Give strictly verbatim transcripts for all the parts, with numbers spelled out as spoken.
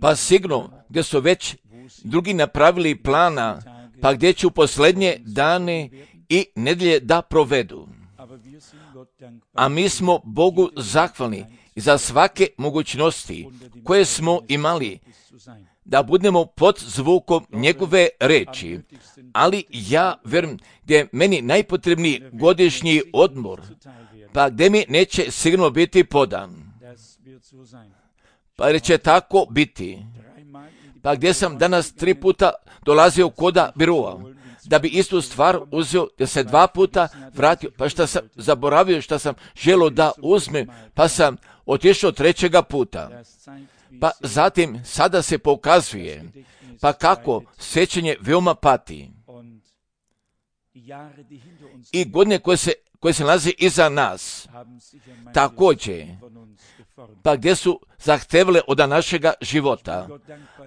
Pa sigurno gdje su već drugi napravili plana, pa gdje će u posljednje dane i nedjelje da provedu. A mi smo Bogu zahvalni za svake mogućnosti koje smo imali, da budemo pod zvukom njegove reči. Ali ja vjerujem gdje je meni najpotrebniji godišnji odmor, pa gdje mi neće sigurno biti podan. Pa jer će tako biti. Pa gdje sam danas tri puta dolazio koda biroa, da bi istu stvar uzeo, da se dva puta vratio, pa šta sam zaboravio, šta sam želio da uzmem, pa sam otišao trećega puta. Pa zatim sada se pokazuje, pa kako sjećanje veoma pati. I godine koje se, koje se nalazi iza nas, također, pa gdje su zahtevale od našega života.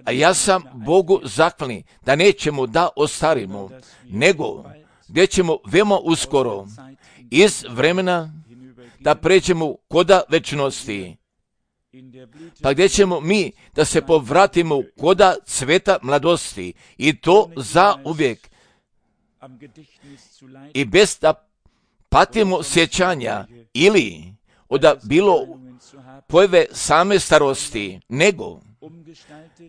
A ja sam Bogu zahvalni da nećemo da ostarimo, nego gdje ćemo veoma uskoro iz vremena da pređemo koda večnosti. Pa gdje ćemo mi da se povratimo koda cveta mladosti i to za uvijek. I bez da patimo sjećanja ili od bilo pojave same starosti, nego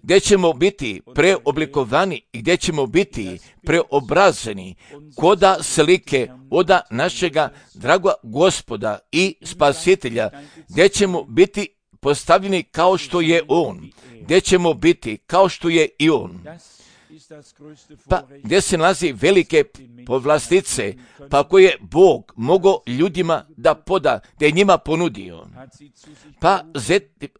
gdje ćemo biti preoblikovani i gdje ćemo biti preobrazeni koda slike oda našega draga Gospoda i Spasitelja, gdje ćemo biti postavljeni kao što je On, gdje ćemo biti kao što je i On. Pa gdje se nalazi velike povlastice, pa koje Bog mogao ljudima da poda, da je njima ponudio. Pa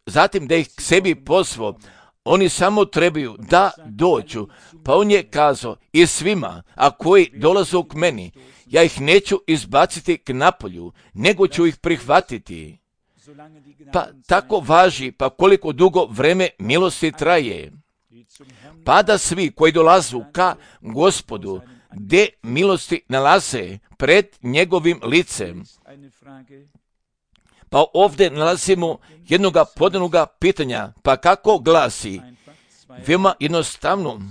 zatim da ih k sebi pozvao, oni samo trebaju da dođu. Pa on je kazao i svima, a koji dolaze k meni, ja ih neću izbaciti k napolju, nego ću ih prihvatiti. Pa tako važi, pa koliko dugo vreme milosti traje. Pa da svi koji dolazu ka Gospodu, gdje milosti nalaze pred njegovim licem. Pa ovdje nalazimo jednoga podanoga pitanja, pa kako glasi? Veoma jednostavno.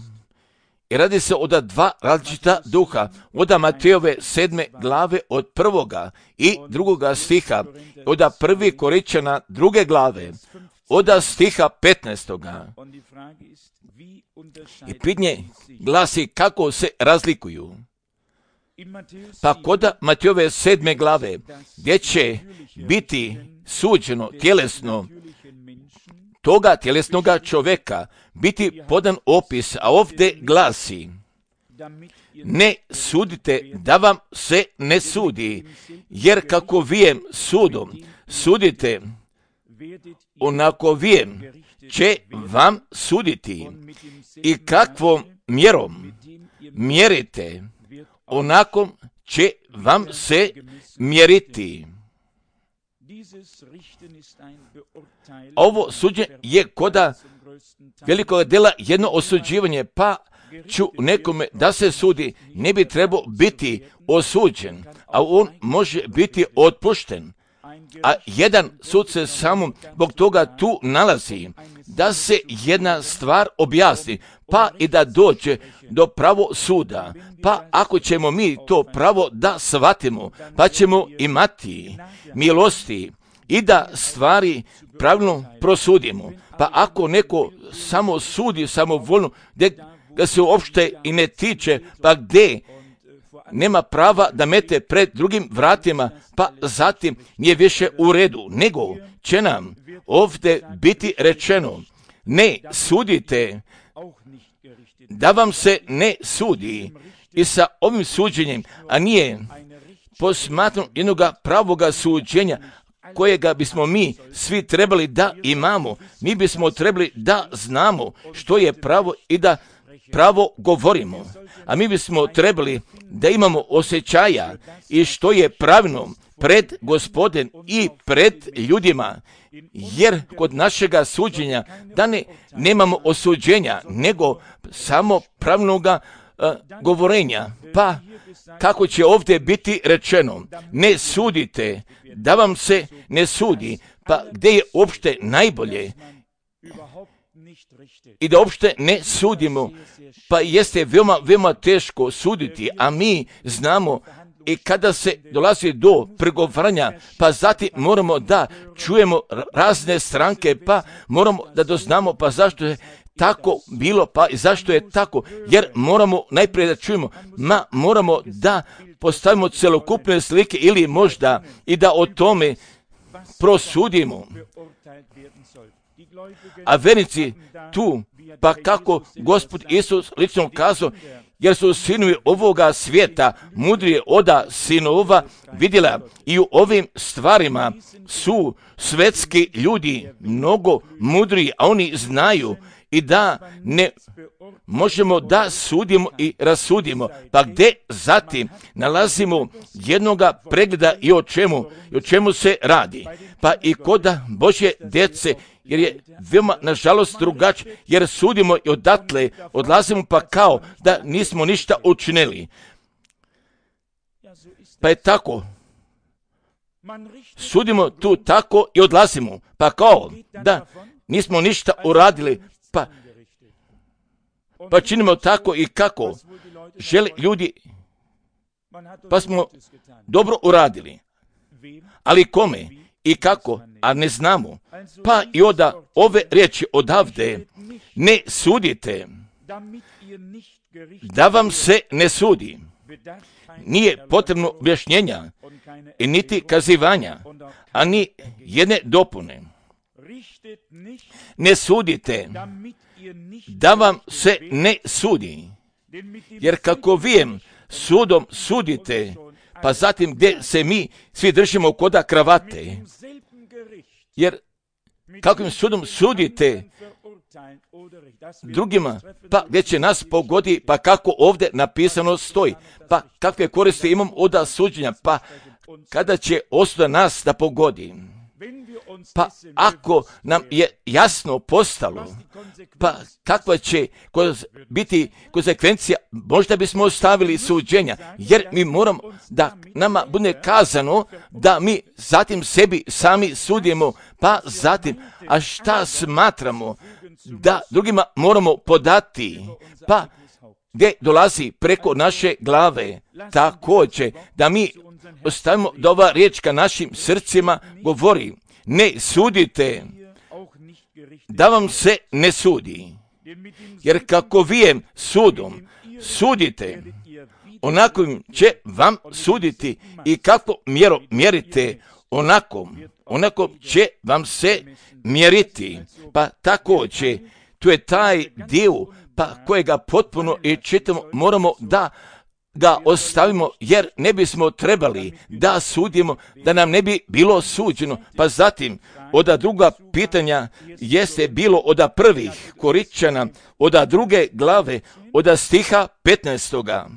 I radi se od dva različita duha, od Matejove sedme glave od prvoga i drugoga stiha, od prvi Korinčana druge glave, od stiha petnaestoga. I pitanje glasi kako se razlikuju. Pa kod Matejove sedme glave, gdje će biti suđeno tjelesno toga tjelesnoga čovjeka, biti podan opis, a ovdje glasi: ne sudite da vam se ne sudi, jer kako vijem sudom sudite, onako vijem će vam suditi, i kakvom mjerom mjerite, onako će vam se mjeriti. Ovo suđenje je koda velikog dela jedno osuđivanje, pa ću nekome da se sudi, ne bi trebao biti osuđen, a on može biti otpušten. A jedan sud se samo zbog toga tu nalazi, da se jedna stvar objasni, pa i da dođe do pravo suda. Pa ako ćemo mi to pravo da shvatimo, pa ćemo imati milosti i da stvari pravilno prosudimo. Pa ako neko samo sudi samovoljno, gdje ga se uopšte i ne tiče, pa gdje nema prava da mete pred drugim vratima, pa zatim nije više u redu, nego će nam ovdje biti rečeno: ne sudite, da vam se ne sudi. I sa ovim suđenjem, a nije posmatrom jednoga pravoga suđenja, kojega bismo mi svi trebali da imamo, mi bismo trebali da znamo što je pravo i da pravo govorimo. A mi bismo trebali da imamo osjećaja i što je pravilno pred Gospodem i pred ljudima, jer kod našega suđenja da ne nemamo osuđenja, nego samo pravilnoga uh, govorenja. Pa kako će ovdje biti rečeno: ne sudite, da vam se ne sudi. pa gdje je uopšte najbolje i da uopšte ne sudimo, pa jeste veoma, veoma teško suditi, a mi znamo i kada se dolazi do pregovaranja, pa zatim moramo da čujemo razne stranke, pa moramo da doznamo, pa zašto je tako bilo, pa i zašto je tako, jer moramo najprije da čujemo, ma moramo da postavimo celokupne slike ili možda i da o tome prosudimo. A vernici tu, pa kako Gospod Isus lično kazao, jer su sinovi ovoga svijeta mudrije oda sinova, vidjela i u ovim stvarima su svetski ljudi mnogo mudriji, a oni znaju i da ne možemo da sudimo i rasudimo. Pa gdje zatim nalazimo jednoga pregleda i o čemu, i o čemu se radi. Pa i kod Božje djece, jer je veoma, nažalost, drugačije, jer sudimo i odatle odlazimo pa kao da nismo ništa učinili. Pa je tako. Sudimo tu tako i odlazimo, pa kao da nismo ništa uradili, pa, pa činimo tako i kako žele ljudi, pa smo dobro uradili. Ali kome i kako, a ne znamo. Pa i onda ove riječi odavde, ne sudite, da vam se ne sudi. Nije potrebno objašnjenja i niti kazivanja, a ni jedne dopune. Ne sudite, da vam se ne sudi. Jer kako vijem, sudom sudite, pa zatim gdje se mi svi držimo koda kravate. Jer kakvim sudom sudite drugima, pa gdje će nas pogodi, pa kako ovdje napisano stoji, pa kakve koristi imam od suđenja, pa kada će osuda nas da pogodi. Pa ako nam je jasno postalo, pa kakva će biti konsekvencija, možda bismo ostavili suđenja, jer mi moramo da nama bude kazano da mi zatim sebi sami sudimo, pa zatim, a šta smatramo da drugima moramo podati, pa gdje dolazi preko naše glave, također da mi ostavimo da ova riječ ka našim srcima govori, ne sudite, da vam se ne sudi. Jer kako vijem sudom sudite, onakom će vam suditi i kako mjero mjerite, onakom, onakom će vam se mjeriti. Pa također, tu je taj dio, pa kojega potpuno i čitamo, moramo da ga ostavimo, jer ne bismo trebali da sudimo, da nam ne bi bilo suđeno. Pa zatim, oda druga pitanja jeste bilo oda prvih Korinčana, oda druge glave, oda stiha petnaestoga.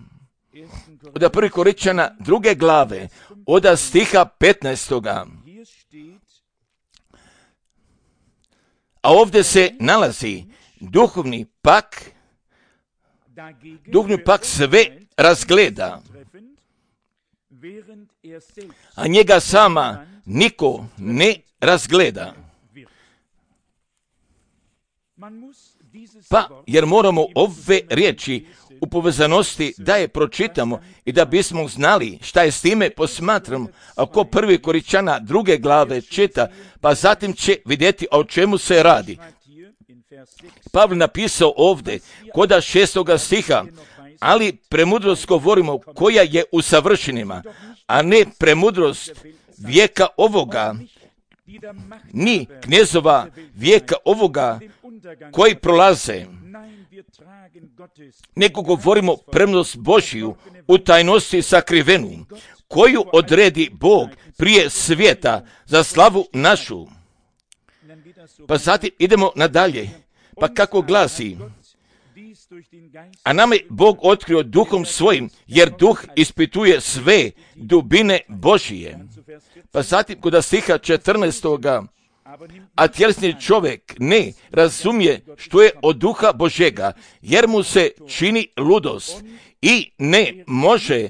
Oda prvih Korinčana druge glave, oda stiha petnaestoga. A ovdje se nalazi duhovni pak, duhovni pak sve razgleda, a njega sama niko ne razgleda. Pa, jer moramo ove riječi u povezanosti da je pročitamo i da bismo znali šta je s time posmatramo. Ako prvi Korinčana druge glave čita, pa zatim će vidjeti o čemu se radi. Pavle napisao ovdje, koda šestoga stiha, ali premudrost govorimo koja je u savršenima, a ne premudrost vijeka ovoga, ni knezova vijeka ovoga koji prolaze, nego govorimo premudrost Božiju u tajnosti sakrivenu, koju odredi Bog prije svijeta za slavu našu. Pa zatim idemo nadalje, pa kako glasi, a nama je Bog otkrio duhom svojim, jer duh ispituje sve dubine Božije. Pa zatim kod stiha četrnaestoga, a tjelesni čovjek ne razumije što je od duha Božega, jer mu se čini ludost i ne može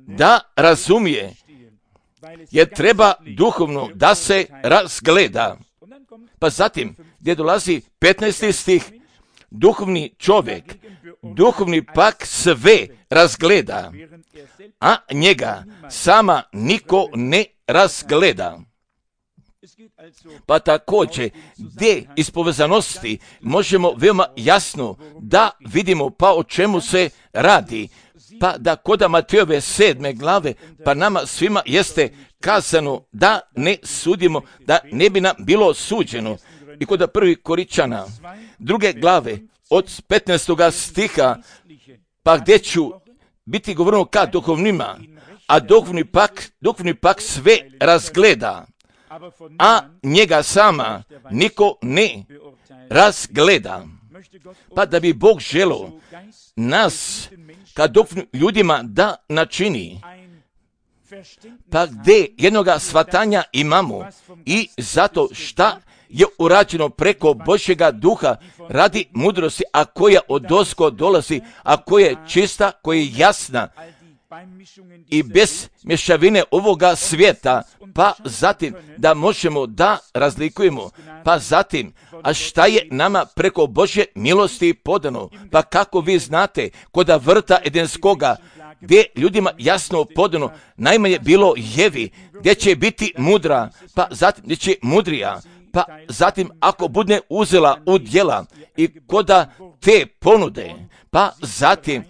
da razumije, jer treba duhovno da se razgleda. Pa zatim, gdje dolazi petnaesti stih, duhovni čovjek, duhovni pak sve razgleda, a njega sama niko ne razgleda. Pa također, gdje iz povezanosti možemo veoma jasno da vidimo pa o čemu se radi. Pa da kod Matejove sedme glave, pa nama svima jeste kazano da ne sudimo, da ne bi nam bilo suđeno. I kod prvi Koričana, druge glave, od petnaestoga stiha, pa gdje ću biti govoreno ka duhovnima, a duhovni pak, duhovni pak sve razgleda, a njega sama niko ne razgleda. Pa da bi Bog želio nas ka duhovnim ljudima da načini, pa gdje jednoga shvatanja imamo i zato šta je urađeno preko Božjega duha radi mudrosti, a koja odozgo dolazi, a koja je čista, koja je jasna i bez mješavine ovoga svijeta, pa zatim da možemo da razlikujemo, pa zatim, a šta je nama preko Božje milosti podano, pa kako vi znate, koda vrta Edenskoga, gdje ljudima jasno podano, najmanje bilo jevi, gdje će biti mudra, pa zatim gdje će mudrija, pa zatim ako bude uzela u djela i koda te ponude, pa zatim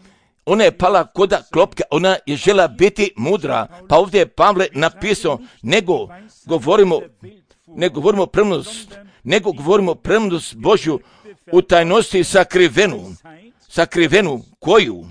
ona je pala koda klopke, ona je žela biti mudra, pa ovdje je Pavle napisao, nego govorimo, ne govorimo premudrost, nego govorimo premudrost Božju u tajnosti sakrivenu, sakrivenu koju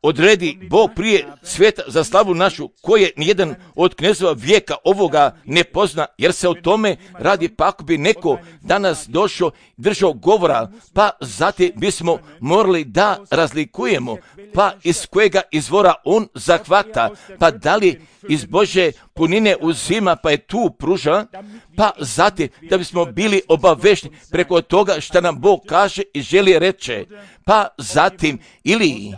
odredi Bog prije svijeta za slavu našu, koje nijedan od knezova vijeka ovoga ne pozna, jer se o tome radi, pa ako bi neko danas došao, držao govora, pa zatim bismo morali da razlikujemo, pa iz kojega izvora on zahvata, pa da li iz Božje punine uzima, pa je tu pruža, pa zatim da bismo bili obavešni preko toga što nam Bog kaže i želi reče, pa zatim ili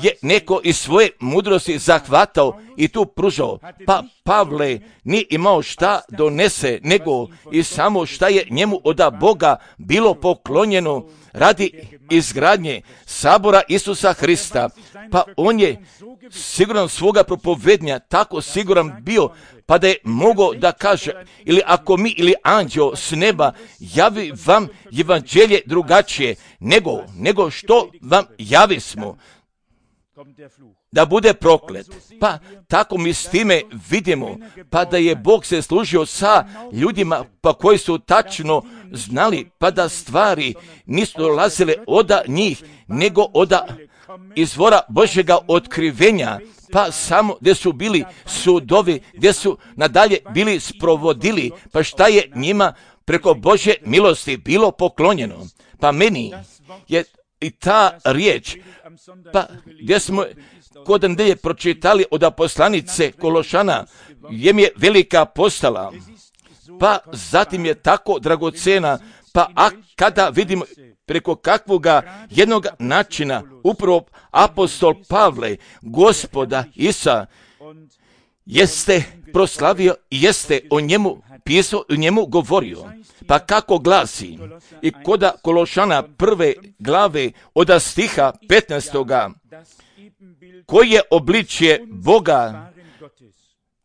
je neko iz svoje mudrosti zahvatao i tu pružao, pa Pavle nije imao šta donese, nego i samo šta je njemu od Boga bilo poklonjeno radi izgradnje sabora Isusa Hrista, pa on je siguran svoga propovednja tako siguran bio, pa da je mogao da kaže, ili ako mi ili anđeo s neba javi vam evanđelje drugačije, nego, nego što vam javi smo, da bude proklet. Pa tako mi s time vidimo, pa da je Bog se služio sa ljudima pa koji su tačno znali, pa da stvari nisu dolazile od njih, nego od izvora Božjega otkrivenja, pa samo gdje su bili sudovi, gdje su nadalje bili sprovodili, pa šta je njima preko Božje milosti bilo poklonjeno. Pa meni je i ta riječ, pa gdje smo kod nedelje pročitali od poslanice Kološana, gdje mi je velika postala, pa zatim je tako dragocena, pa a kada vidimo preko kakvoga jednog načina upravo apostol Pavle, Gospoda Isa, jeste proslavio i jeste o njemu pisao i o njemu govorio. Pa kako glasi, i koda Kološana prve glave od stiha petnaestoga, koji je obličje Boga,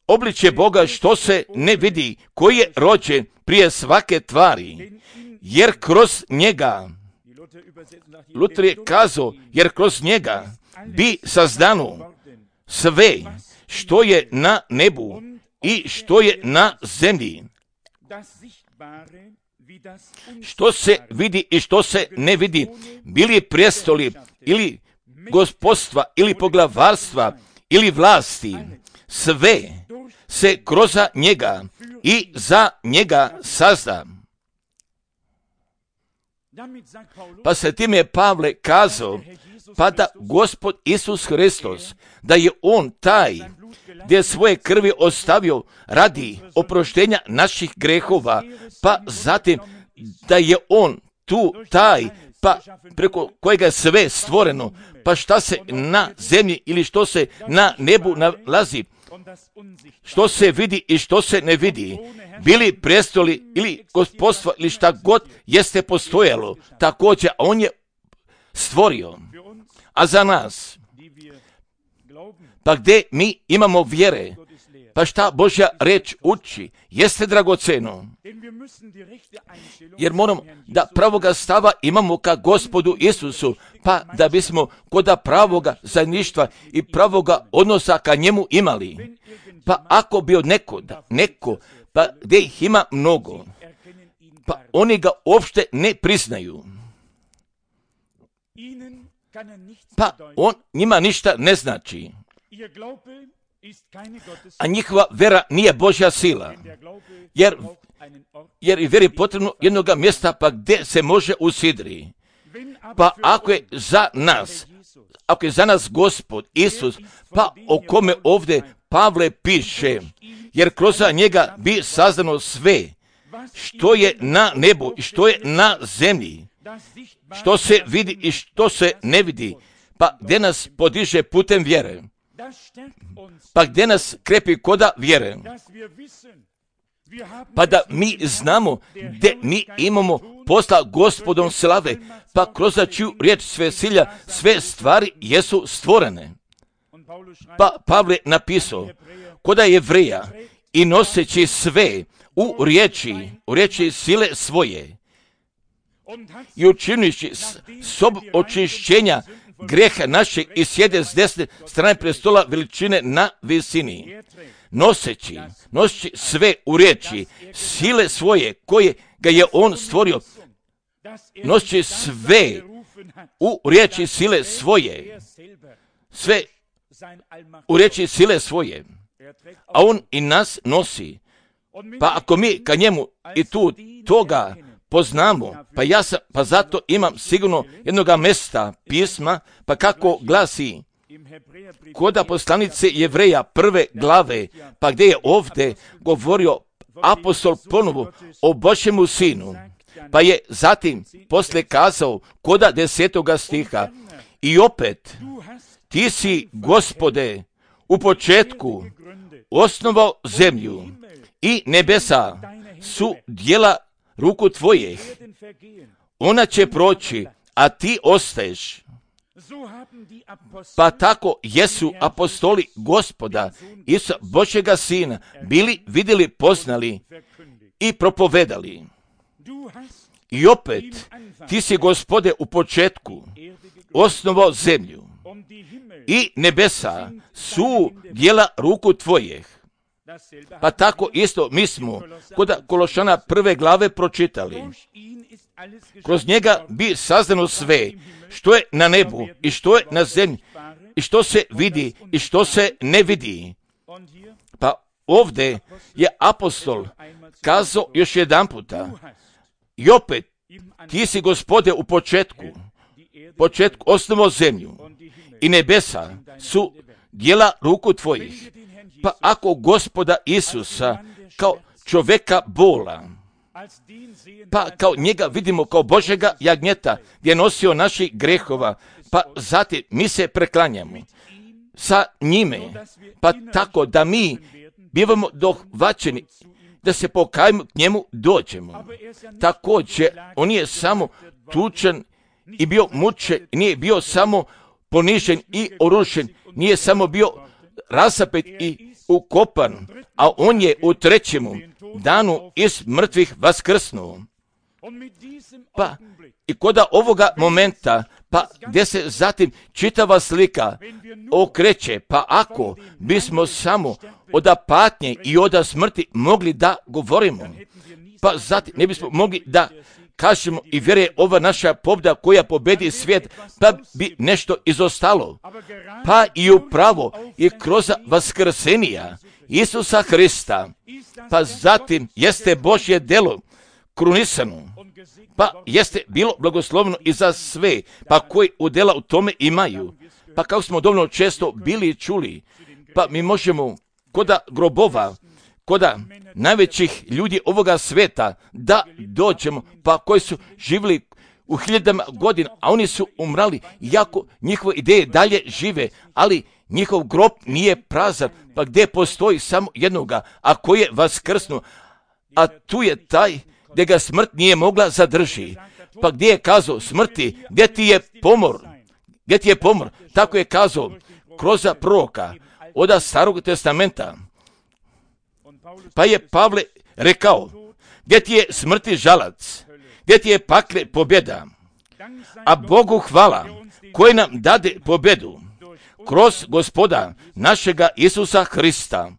obličje Boga što se ne vidi, koji je rođen prije svake tvari, jer kroz njega, Luter je kazao, jer kroz njega bi sazdano sve što je na nebu i što je na zemlji, što se vidi i što se ne vidi, bili prijestoli ili gospodstva ili poglavarstva ili vlasti, sve se kroz njega i za njega sazda. Pa se time je Pavle kazao, pa da Gospod Isus Hristos, da je on taj gdje svoje krvi ostavio radi oproštenja naših grehova, pa zatim da je on tu taj, pa preko kojega je sve stvoreno, pa šta se na zemlji ili što se na nebu nalazi, što se vidi i što se ne vidi, bili prestoli ili gospodstva ili šta god jeste postojalo, također on je stvorio. A za nas, pa gdje mi imamo vjere, pa šta Božja reč uči, jeste dragoceno. Jer moramo da pravoga stava imamo ka Gospodu Isusu, pa da bismo kod pravoga zajedništva i pravoga odnosa ka njemu imali. Pa ako bi od neko, neko, pa gdje ih ima mnogo, pa oni ga uopšte ne priznaju. Pa on njima ništa ne znači. A njihova vera nije Božja sila, jer, jer i veri potrebno jednog mjesta pa gdje se može usidri. Pa ako je za nas, ako je za nas Gospod Isus, pa o kome ovdje Pavle piše, jer kroz njega bi saznano sve, što je na nebu i što je na zemlji, što se vidi i što se ne vidi, pa gdje nas podiže putem vjere. Pa gdje nas krepi koda vjere, pa da mi znamo gdje mi imamo posla Gospodom slave, pa kroz čiju riječ sve silja, sve stvari jesu stvorene. Pa Pavle napisao, koda Jevreja i noseći sve u riječi, u riječi sile svoje i učinići sob očišćenja greha našeg i sjede s desne strane prestola veličine na visini. Noseći, noseći sve u riječi, sile svoje koje ga je on stvorio, noseći sve u riječi sile svoje, sve u riječi sile svoje, a on i nas nosi. Pa ako mi ka njemu i tu toga poznamo, pa ja sam, pa zato imam sigurno jednoga mesta pisma, pa kako glasi koda poslanice Jevreja prve glave, pa gdje je ovdje govorio apostol ponovo o Božjemu sinu, pa je zatim poslije kazao koda desetoga stiha, i opet ti si, Gospode, u početku osnovao zemlju i nebesa su djela ruku tvojih, ona će proći, a ti ostaješ. Pa tako jesu apostoli Gospoda Isusa Božjega Sina bili, vidjeli, poznali i propovedali. I opet, ti si, Gospode, u početku osnovao zemlju i nebesa su djela ruku tvojih. Pa tako isto mi smo kod Kološana prve glave pročitali. Kroz njega bi saznano sve, što je na nebu i što je na zemlji, i što se vidi i što se ne vidi. Pa ovdje je apostol kazao još jedan puta, i opet, ti si, Gospode, u početku, početku osnovao zemlju i nebesa su djela ruku tvojih. Pa ako Gospoda Isusa kao čovjeka bola, pa kao njega vidimo kao Božjega jagnjeta gdje je nosio naših grehova, pa zatim mi se preklanjamo sa njime, pa tako da mi bivamo dohvaćeni, da se pokajemo k njemu dođemo. Također, on je samo tučen i bio mučen, nije bio samo ponižen i orušen, nije samo bio rasapet i ukopan, a on je u trećemu danu iz mrtvih vaskrsnuo. Pa i koda ovoga momenta, pa gdje se zatim čitava slika okreće, pa ako bismo samo od patnje i od smrti mogli da govorimo, pa zatim ne bismo mogli da kažemo i vjeruje ova naša pobjeda koja pobedi svijet, pa bi nešto izostalo. Pa i upravo i kroz vaskrsenija Isusa Hrista, pa zatim jeste Božje delo krunisano, pa jeste bilo blagoslovno i za sve, pa koji udjela u tome imaju. Pa kao smo dovoljno često bili i čuli, pa mi možemo koda grobova, koda najvećih ljudi ovoga sveta da dođemo, pa koji su živjeli u hiljadama godina, a oni su umrali, iako njihove ideje dalje žive, ali njihov grob nije prazan, pa gdje postoji samo jednoga, a koji je vaskrsnuo, a tu je taj gdje ga smrt nije mogla zadrži. Pa gdje je kazao smrti, gdje ti je pomor, gdje ti je pomor, tako je kazao kroz proroka od Starog testamenta. Pa je Pavle rekao, gdje ti je smrti žalac, gdje ti je pakle pobjeda, a Bogu hvala koji nam dade pobjedu kroz Gospoda našega Isusa Hrista.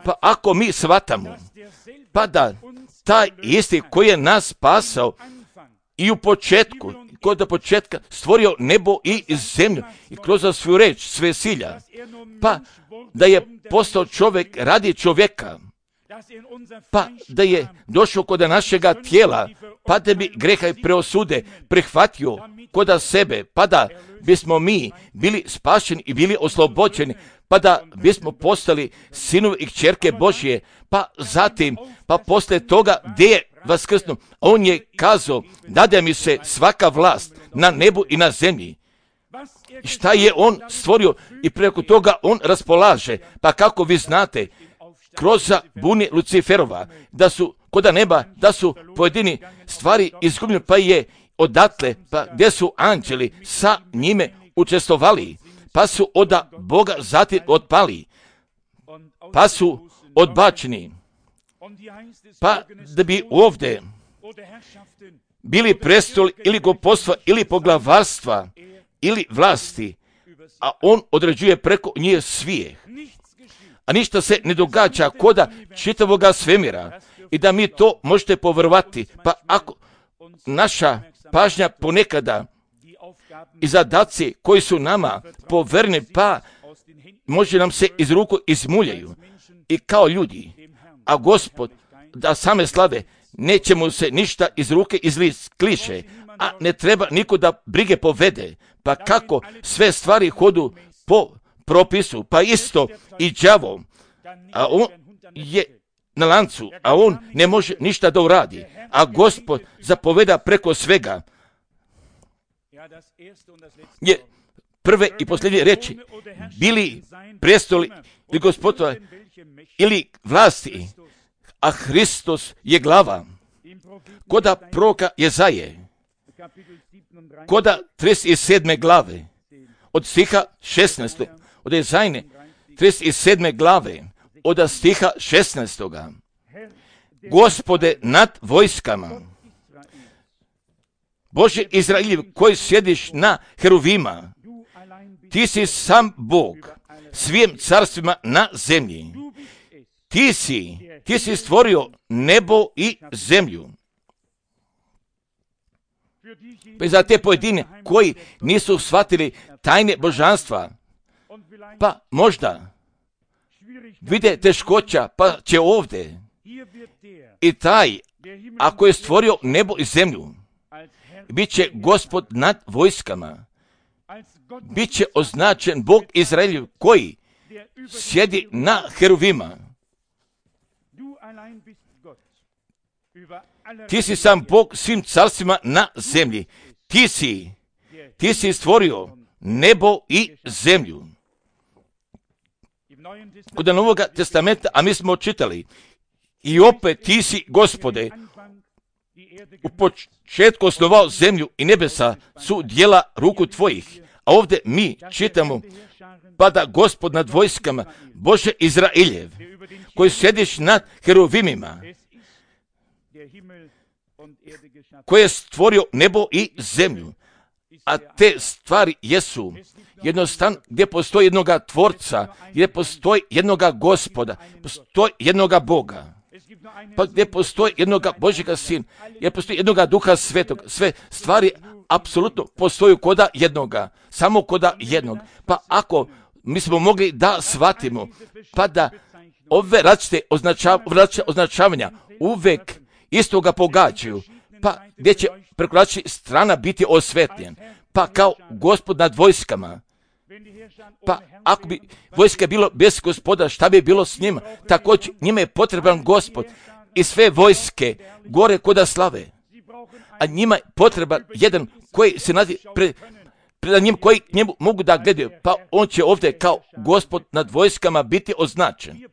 Pa ako mi shvatamo, pa da taj isti koji je nas spasao i u početku, kod do početka stvorio nebo i zemlju i kroz svoju reč sve silja, pa da je postao čovjek radi čovjeka, pa da je došao kod našega tijela, pa da bi greha i preosude prihvatio kod sebe, pa da bismo mi bili spašeni i bili oslobođeni, pa da bismo postali sinovi i kćerke Božje, pa zatim, pa poslije toga gdje je vaskrsnuo, on je kazao, dade mi se svaka vlast na nebu i na zemlji. Šta je on stvorio i preko toga on raspolaže, pa kako vi znate, kroz buni Luciferova, da su kod neba, da su pojedini stvari izgubljene, pa je odatle, pa gdje su anđeli sa njime učestvovali, pa su od Boga zatim otpali, pa su odbačeni, pa da bi ovdje bili prestoli ili gospodstva ili poglavarstva ili vlasti, a on određuje preko njih svijeh. A ništa se ne događa koda čitavoga svemira i da mi to možete poverovati, pa ako naša pažnja ponekada i zadaci koji su nama poverni, pa može nam se iz ruku izmuljaju i kao ljudi, a Gospod da same slave neće mu se ništa iz ruke izkliše, a ne treba niko da brige povede, pa kako sve stvari hodu po propisu, pa isto i đavo, a on je na lancu, a on ne može ništa da uradi, a Gospod zapoveda preko svega. Je prve i posljednje reči, bili prestoli ili gospodova ili vlasti, a Hristos je glava. Koda proroka Jezaje, koda trideset sedme glave, od stiha šesnaestog, od Jezajne trideset sedme glave, od stiha šesnaestog. Gospode nad vojskama, Bože Izraeljev koji sjediš na heruvima, ti si sam Bog svim carstvima na zemlji. Ti si, ti si stvorio nebo i zemlju. Pa za te pojedine koji nisu shvatili tajne božanstva, pa možda vide teškoća, pa će ovdje i taj, ako je stvorio nebo i zemlju, bit će Gospod nad vojskama, bit će označen Bog Izraeljev koji sjedi na heruvima. Ti si sam Bog svim carstvima na zemlji. Ti si, ti si stvorio nebo i zemlju. Kod Novog testamenta, a mi smo čitali, i opet ti si, Gospode, u početku osnovao zemlju i nebesa su djela ruku tvojih. A ovdje mi čitamo, pa da Gospod nad vojskama, Bože Izraeljev, koji sjediš nad heruvimima, koji je stvorio nebo i zemlju. A te stvari jesu jednostavno gdje postoji jednoga tvorca, gdje postoji jednoga Gospoda, postoji jednoga Boga, pa gdje postoji jednoga Božjega Sina, gdje postoji jednoga Duha Svetog. Sve stvari apsolutno postoju koda jednoga, samo koda jednog. Pa ako mi smo mogli da shvatimo, pa da ove različite označav, označavanja uvek istoga pogađaju, pa gdje će preko različitih strana biti osvetljen, pa kao Gospod nad vojskama. Pa ako bi vojska bilo bez Gospoda, šta bi bilo s njima? Također njima je potreban Gospod i sve vojske gore koda slave. A njima je potreban jedan koji se nadi pre, pred njim koji k njemu mogu da gledaju, pa on će ovdje kao gospod nad vojskama biti označen.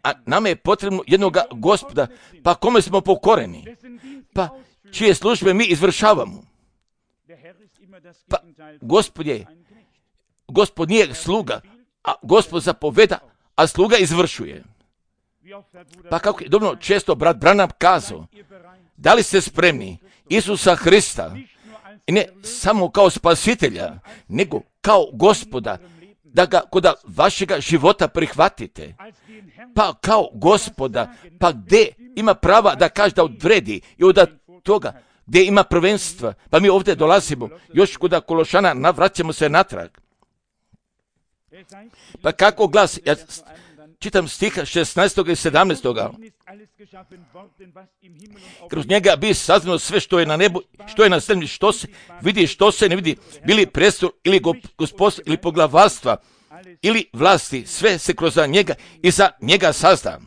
A nama je potrebno jednoga gospoda, pa kome smo pokoreni, pa čije službe mi izvršavamo. Pa gospod je, gospod nije sluga, a gospod zapoveda, a sluga izvršuje. Pa kako je dobro često brat Branham kazao, da li ste spremni Isusa Hrista, i ne samo kao spasitelja, nego kao gospoda, da ga kod vašega života prihvatite, pa kao gospoda, pa gdje ima prava da kaže da odredi i od toga gdje ima prvenstva, pa mi ovdje dolazimo, još kod Kološana navraćamo se natrag. Pa kako glasi, ja čitam stiha šesnaestog i sedamnaestog Kroz njega bi saznalo sve što je na nebu, što je na zemlji, što se vidi, što se ne vidi, bili prestol ili gospodstvo ili poglavarstva ili vlasti, sve se kroz njega i za njega sazda.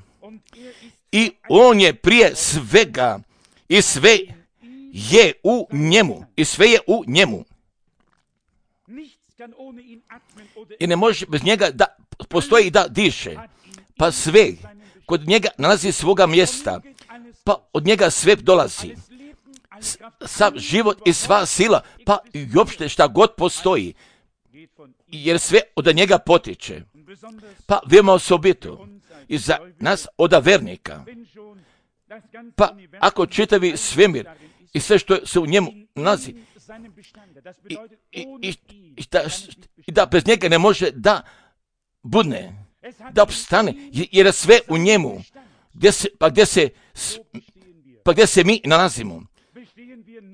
I on je prije svega i sve je u njemu i sve je u njemu. I ne može bez njega da postoji i da diše. Pa sve kod njega nalazi svoga mjesta, pa od njega sve dolazi. Sav život i sva sila, pa i uopšte šta god postoji, jer sve od njega potiče. Pa veoma osobito i za nas od vernika. Pa ako čitavi svemir i sve što se u njemu nalazi, i, i, i, i, da, i da bez njega ne može da budne, da opstane, jer je sve u njemu, gdje se, pa, gdje se, pa gdje se mi nalazimo.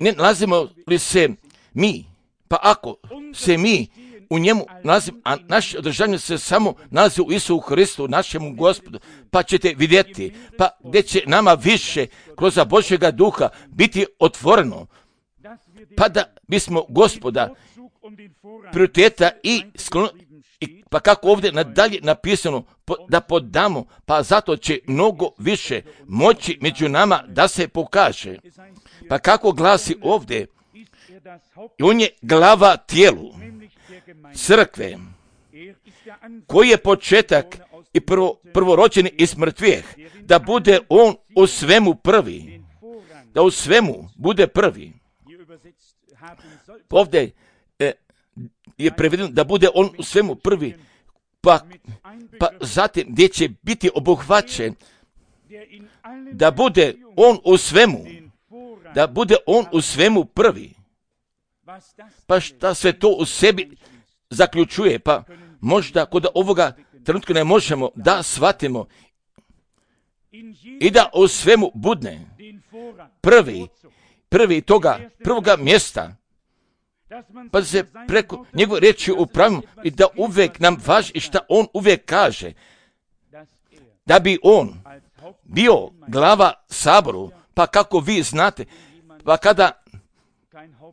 Ne nalazimo li se mi, pa ako se mi u njemu nalazimo, a naše održanje se samo nalazi u Isusu Hristu, našemu Gospodu, pa ćete vidjeti, pa gdje će nama više kroz Božjega duha biti otvoreno, pa da bismo Gospoda prioriteta i sklono, i pa kako ovdje nadalje napisano, po, da podamo, pa zato će mnogo više moći među nama da se pokaže. Pa kako glasi ovdje, on je glava tijelu, crkve, koji je početak i prvo, prvorođeni iz mrtvih, da bude on u svemu prvi, da u svemu bude prvi. Ovdje e, je prevedeno da bude on u svemu prvi, pa, pa zatim gdje će biti obuhvaćen, da bude on u svemu, da bude on u svemu prvi. Pa šta sve to u sebi zaključuje, pa možda kod ovoga trenutka ne možemo da shvatimo i da u svemu budne prvi, prvi toga, prvoga mjesta, pa da se preko njegove riječi upravimo i da uvijek nam važi i šta on uvijek kaže, da bi on bio glava saboru, pa kako vi znate, pa kada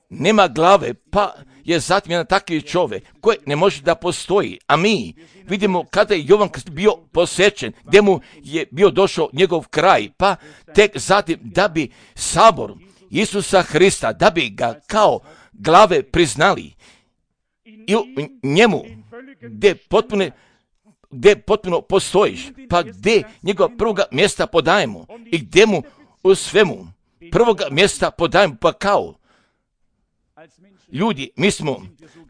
nema glave, pa je zatim jedan takvi čovjek koji ne može da postoji, a mi vidimo kada je Jovan bio posjećen, gdje mu je bio došao njegov kraj, pa tek zatim da bi sabor Isusa Hrista, da bi ga kao glave priznali i u njemu gdje potpuno, gdje potpuno postojiš, pa gdje njegova prvoga mjesta podajemo i gdje mu u svemu prvoga mjesta podajemo, pa kao ljudi, mi smo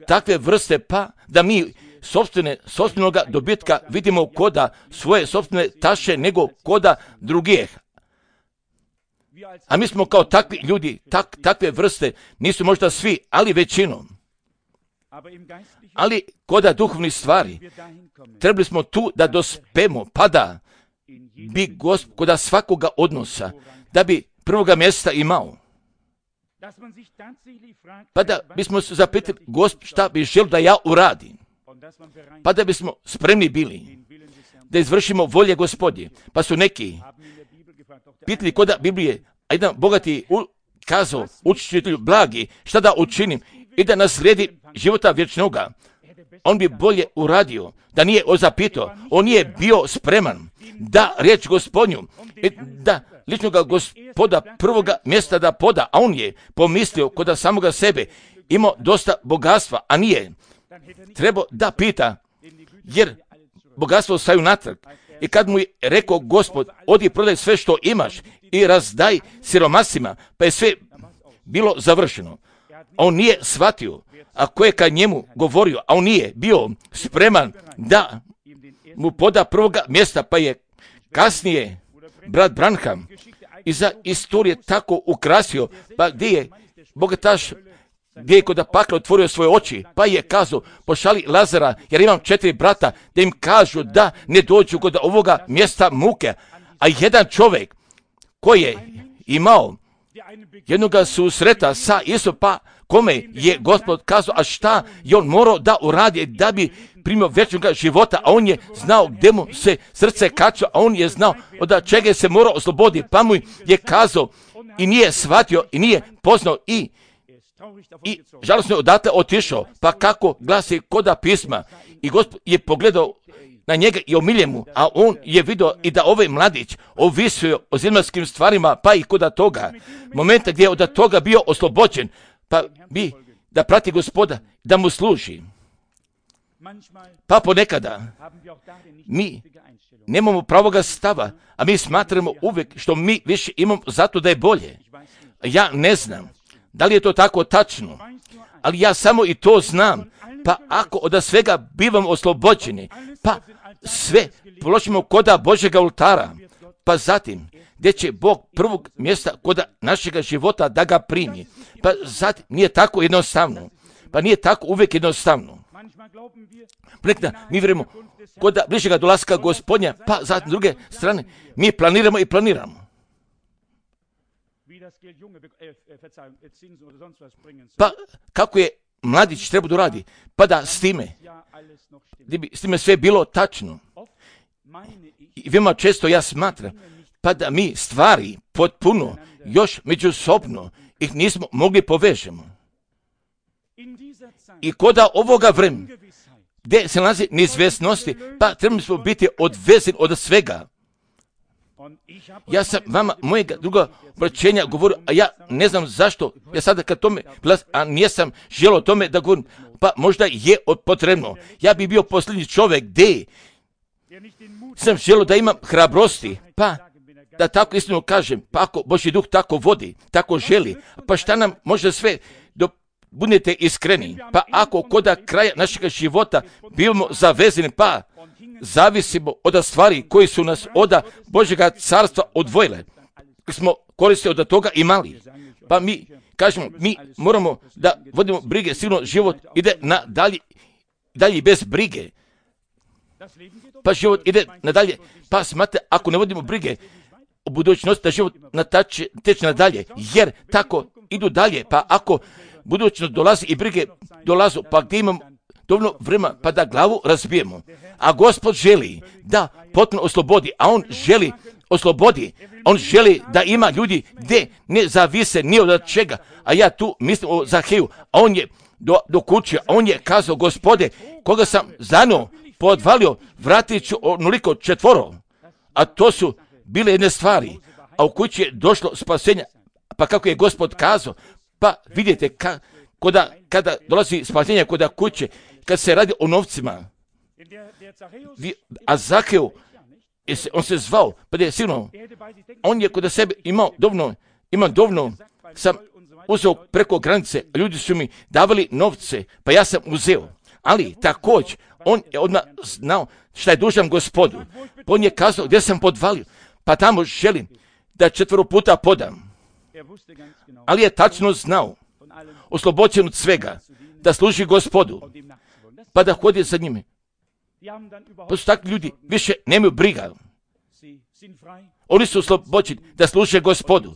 takve vrste, pa da mi sobstvene, sobstvenoga dobitka vidimo koda svoje sobstvene taše nego koda drugih. A mi smo kao takvi ljudi, tak, takve vrste, nisu možda svi, ali većinom. Ali koda duhovnih stvari, trebali smo tu da dospemo, pa da bi Gospod, koda svakoga odnosa, da bi prvoga mjesta imao. Pa da bismo se zapitali, Gospod, šta bi želio da ja uradim? Pa da bismo spremni bili da izvršimo volje Gospodje. Pa su neki pitali koda Biblije, a jedan bogati u, kazao učitelju blagi, šta da učinim i da naslijedi života vječnoga. On bi bolje uradio da nije ozapitao, on nije bio spreman da riječ Gospodnju, da ličnoga gospoda prvoga mjesta da poda, a on je pomislio kod samoga sebe, imao dosta bogatstva, a nije. Trebao da pita, jer bogatstvo staju natrag. I kad mu je rekao Gospod, odi prodaj sve što imaš i razdaj siromasima, pa je sve bilo završeno. A on nije shvatio, a ko je kad njemu govorio, a on nije bio spreman da mu poda prvoga mjesta, pa je kasnije brat Branham iza istorije tako ukrasio, pa gdje je bogataš, gdje je kod pakla otvorio svoje oči, pa je kazao, pošali Lazara, jer imam četiri brata, da im kažu da ne dođu kod ovoga mjesta muke. A jedan čovjek koji je imao jednoga susreta sa Isom, pa kome je Gospod kazao, a šta je on morao da uradi da bi primio vječnog života, a on je znao gdje mu se srce kača, a on je znao od čega se morao osloboditi, pa mu je kazao i nije shvatio i nije poznao i I žalosno je odatle otišao, pa kako glasi koda pisma. I Gospod je pogledao na njega i omilje mu, a on je vidio i da ovaj mladić ovisio o zemaljskim stvarima, pa i koda toga momenta gdje je od toga bio oslobođen, pa bi da prati Gospoda, da mu služi. Pa ponekada mi nemamo pravoga stava, a mi smatramo uvijek što mi više imamo zato da je bolje. Ja ne znam da li je to tako tačno, ali ja samo i to znam. Pa ako od svega bivamo oslobođeni, pa sve položimo koda Božjega oltara, pa zatim gdje će Bog prvog mjesta koda našega života da ga primi. Pa zatim nije tako jednostavno. Pa nije tako uvijek jednostavno. Ponekada mi vjerujemo koda bližega dolaska Gospodnja, pa zatim s druge strane mi planiramo i planiramo. Pa kako je mladić treba da radi, pa da s time, gdje bi s time sve bilo tačno. I veoma često ja smatram, pa da mi stvari potpuno, još međusobno ih nismo mogli povežemo. I koda ovoga vremena, gdje se nalazi neizvjesnosti, pa trebamo smo biti odvezeni od svega. Ja sam vama mojega druga obraćenja govorio, a ja ne znam zašto, ja sada kad tome glas, a nijesam želio o tome da govorim, pa možda je potrebno. Ja bi bio posljednji čovjek gdje sam želio da imam hrabrosti, pa da tako istinu kažem, pa ako Božji duh tako vodi, tako želi, pa šta nam može sve do budete iskreni, pa ako koda kraja našeg života bivamo zavezani, pa zavisimo od stvari koji su nas od Božjega carstva odvojile, smo koristili od toga i mali. Pa mi kažemo, mi moramo da vodimo brige, sigurno život ide na dalje, dalje bez brige. Pa život ide nadalje, pa smate, ako ne vodimo brige o budućnosti, da život natače, teče nadalje, jer tako idu dalje, pa ako budućnost dolazi i brige dolazu, pa gdje imamo dovoljno vremena, pa da glavu razbijemo. A Gospod želi da potpuno oslobodi, a on želi oslobodi, on želi da ima ljudi gdje ne zavise ni od čega, a ja tu mislim o Zaheju, a on je do, do kuće, a on je kazao, Gospode, koga sam zanuo, podvalio, vratit ću onoliko četvoro, a to su bile jedne stvari, a u kući je došlo spasenja, pa kako je Gospod kazao, pa vidite, ka, koda, kada dolazi spasenje koda kuće, kad se radi o novcima, a Zaheu, on se zvao, pa je sigurno, on je kod sebe imao dovoljno, ima dovoljno, sam uzeo preko granice, ljudi su mi davali novce, pa ja sam uzeo, ali također, on je odmah znao šta je dužan Gospodu, pa on je kazao gdje sam podvalio, pa tamo želim da četvero puta podam, ali je tačno znao, oslobođen od svega, da služi Gospodu, pa da hodi za njime. Pa su takvi ljudi, više nemaju briga. Oni su oslobođeni da služe Gospodu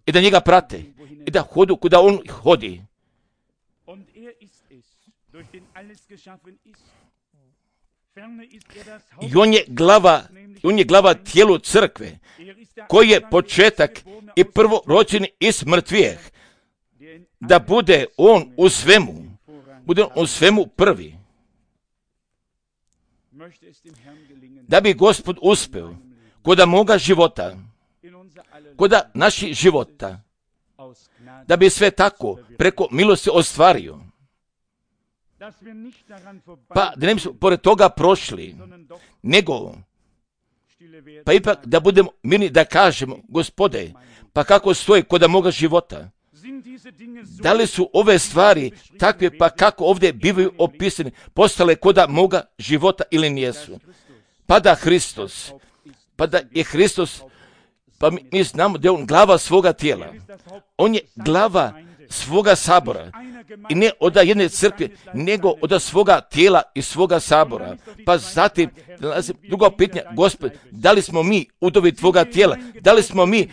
i da njega prate i da hodu kuda on hodi. I on je glava, on je glava tijelu crkve, koji je početak i prvorođeni iz mrtvijeh, da bude on u svemu, bude on u svemu prvi. Da bi Gospod uspeo kod moga života koda naših života, da bi sve tako preko milosti ostvario. Pa da ne bismo pored toga prošli, nego pa ipak da budemo mirni da kažemo, Gospode, pa kako stoji koda moga života? Da li su ove stvari takve, pa kako ovdje bivaju opisane, postale koda moga života ili nijesu? Pa da Hristos, pa da je Hristos, pa mi, mi znamo da je on glava svoga tijela. On je glava svoga sabora. I ne od jedne crkve, nego od svoga tijela i svoga sabora. Pa zatim, drugo pitanje, Gospod, da li smo mi udovi tvoga tijela? Da li smo mi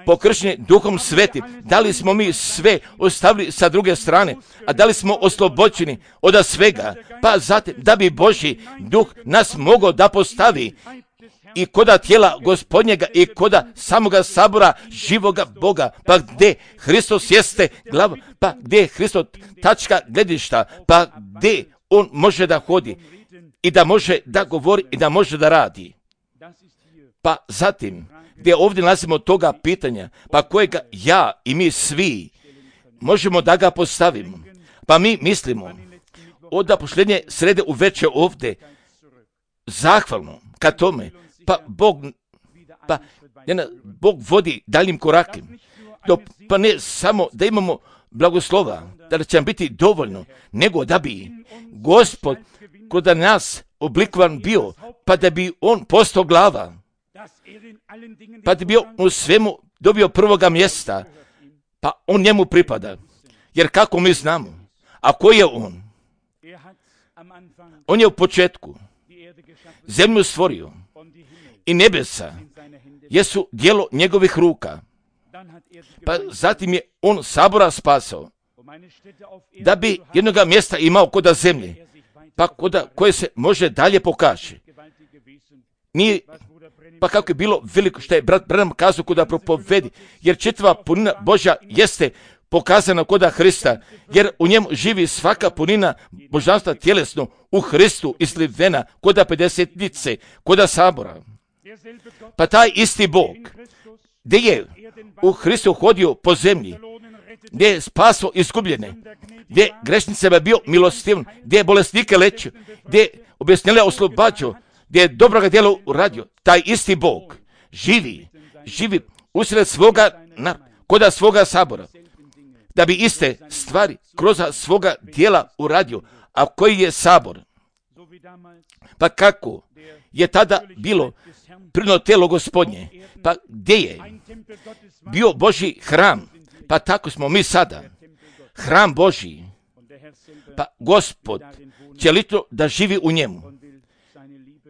pokršeni Duhom Svetim? Da li smo mi sve ostavili sa druge strane? A da li smo oslobođeni od svega? Pa zatim, da bi Božji Duh nas mogao da postavi i koda tijela Gospodnjega i koda samoga sabora živoga Boga, pa gdje Hristos jeste glava, pa gdje je Hristos tačka gledišta, pa gdje on može da hodi i da može da govori i da može da radi. Pa zatim, gdje ovdje nalazimo toga pitanja, pa kojega ja i mi svi možemo da ga postavimo. Pa mi mislimo, od posljednje srede u večer ovdje, zahvalno ka tome, pa Bog, pa jedna, Bog vodi daljim korakem. To, pa ne samo da imamo blagoslova, da će nam biti dovoljno, nego da bi Gospod kod nas oblikovan bio, pa da bi on postao glava, pa da bi on u svemu dobio prvoga mjesta, pa on njemu pripada. Jer kako mi znamo, a ko je on? On je u početku zemlju stvorio i nebesa jesu djelo njegovih ruka. Pa zatim je on sabora spasao, da bi jednoga mjesta imao koda zemlje, pa koda koje se može dalje pokaže. Nije, pa kako je bilo veliko što je brat Branham kazao koda propovedi, jer čitava punina Božja jeste pokazana koda Hrista, jer u njemu živi svaka punina božanstva tjelesno u Hristu islivena koda pedesetnice, koda sabora. Pa taj isti Bog, gdje je u Hristu hodio po zemlji, gdje je spaso izgubljene, gdje je grešnicama bio milostivan, gdje je bolesnike lečio, gdje je objesnile oslobađao, gdje je dobroga djela uradio, taj isti Bog živi, živi usred svoga, na, koda svoga sabora, da bi iste stvari kroz svoga djela uradio, a koji je sabor. Pa kako je tada bilo prirodno tijelo Gospodnje, pa gdje je bio Božji hram, pa tako smo mi sada, hram Božji, pa Gospod će litno da živi u njemu,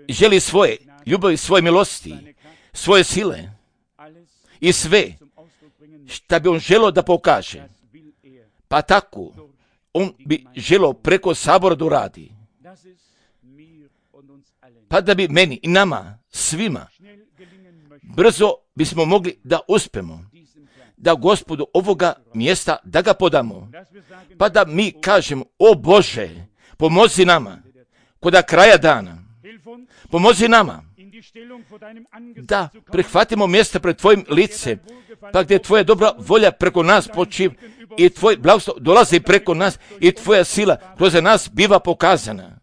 želi svoje ljubavi, svoje milosti, svoje sile i sve šta bi on želio da pokaže, pa tako on bi želio preko sabora da uradi, pa da bi meni i nama svima brzo bismo mogli da uspemo, da Gospodu ovoga mjesta da ga podamo, pa da mi kažemo, o Bože, pomozi nama koda kraja dana, pomozi nama da prihvatimo mjesta pred tvojim licem, pa gdje tvoja dobra volja preko nas počiva i tvoj blagoslov dolazi preko nas i tvoja sila kroz nas biva pokazana.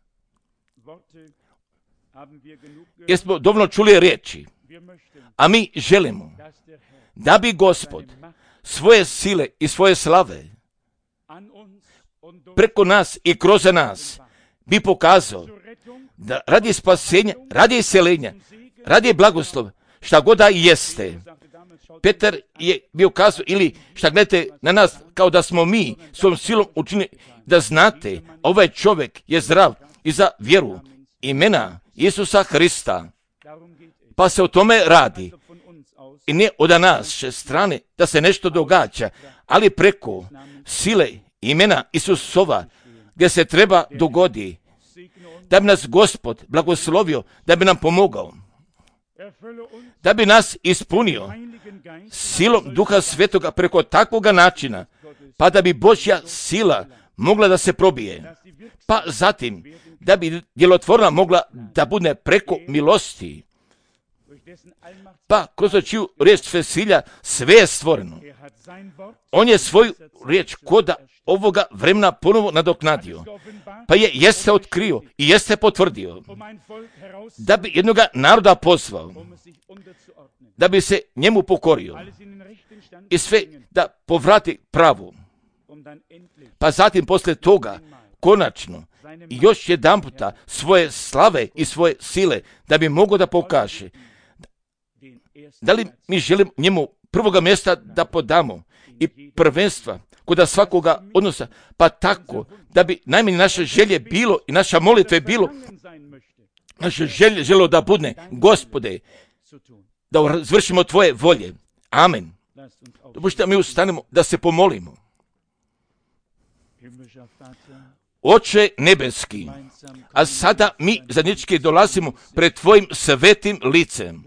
Jer smo dovoljno čuli riječi, a mi želimo da bi Gospod svoje sile i svoje slave preko nas i kroz nas bi pokazao da radi spasenja, radi iseljenja, radi blagoslova, šta god da jeste. Petar je bio kazao, ili šta gledate na nas kao da smo mi svojom silom učinili, da znate, ovaj čovjek je zdrav i za vjeru imena Isusa Hrista. Pa se o tome radi. I ne od naše strane da se nešto događa, ali preko sile imena Isusova gdje se treba dogodi, da bi nas Gospod blagoslovio, da bi nam pomogao, da bi nas ispunio silom Duha Svetoga preko takvoga načina, pa da bi Božja sila mogla da se probije, pa zatim da bi djelotvorna mogla da bude preko milosti, Pa kroz čiju riječ svesilja sve je stvoreno. On je svoju riječ koda ovoga vremena ponovo nadoknadio, pa je jeste otkrio i jeste potvrdio, da bi jednoga naroda pozvao, da bi se njemu pokorio i sve da povrati pravu, pa zatim poslije toga konačno i još jedan puta svoje slave i svoje sile da bi mogao da pokaže. Da li mi želimo njemu prvoga mjesta da podamo i prvenstva kod svakoga odnosa, pa tako da bi najmanje naše želje bilo i naša molitva je bilo, naše želje želo da budne, Gospode, da zvršimo Tvoje volje. Amen. Dopustite da mi ustanemo da se pomolimo. Oče nebeski, a sada mi zajednički dolazimo pred Tvojim svetim licem,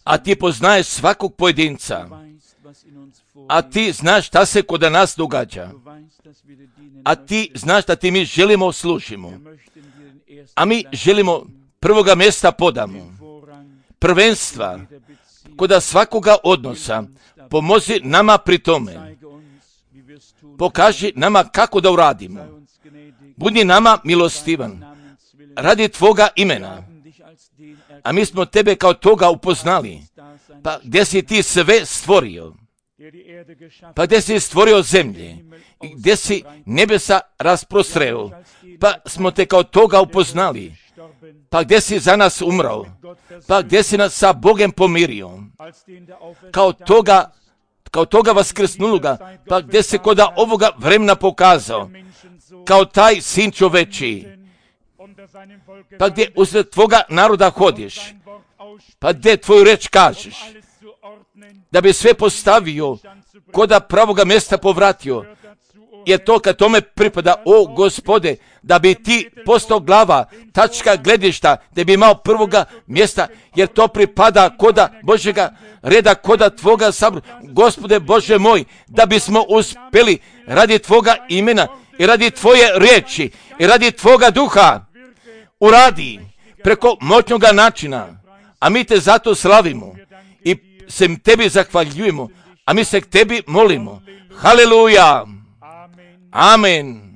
a Ti poznaješ svakog pojedinca, a Ti znaš šta se kod nas događa, a Ti znaš da Ti mi želimo služimo, a mi želimo prvoga mjesta podamo, prvenstva kod svakoga odnosa. Pomozi nama pri tome. Pokaži nama kako da uradimo. Budi nama milostivan radi Tvoga imena. A mi smo Tebe kao toga upoznali. Pa gdje si Ti sve stvorio? Pa gdje si stvorio zemlje? I gdje si nebesa rasprostreo? Pa smo Te kao toga upoznali. Pa gdje si za nas umrao? Pa gdje si nas sa Bogem pomirio? Kao toga kao toga vaskrsnuloga, pa gdje se kod ovoga vremena pokazao, kao taj sin čoveči, pa gdje usred Tvoga naroda hodiš, pa gdje Tvoju reč kažeš, da bi sve postavio, kod pravoga mjesta povratio, jer to kad tome pripada, o Gospode, da bi Ti postao glava, tačka gledišta, da bi imao prvoga mjesta, jer to pripada koda Božjega reda, koda Tvoga sabora. Gospode Bože moj, da bismo uspjeli radi Tvoga imena i radi Tvoje riječi i radi Tvoga duha, uradi preko moćnoga načina, a mi Te zato slavimo i se Tebi zahvaljujemo, a mi se k Tebi molimo. Haleluja! Amen.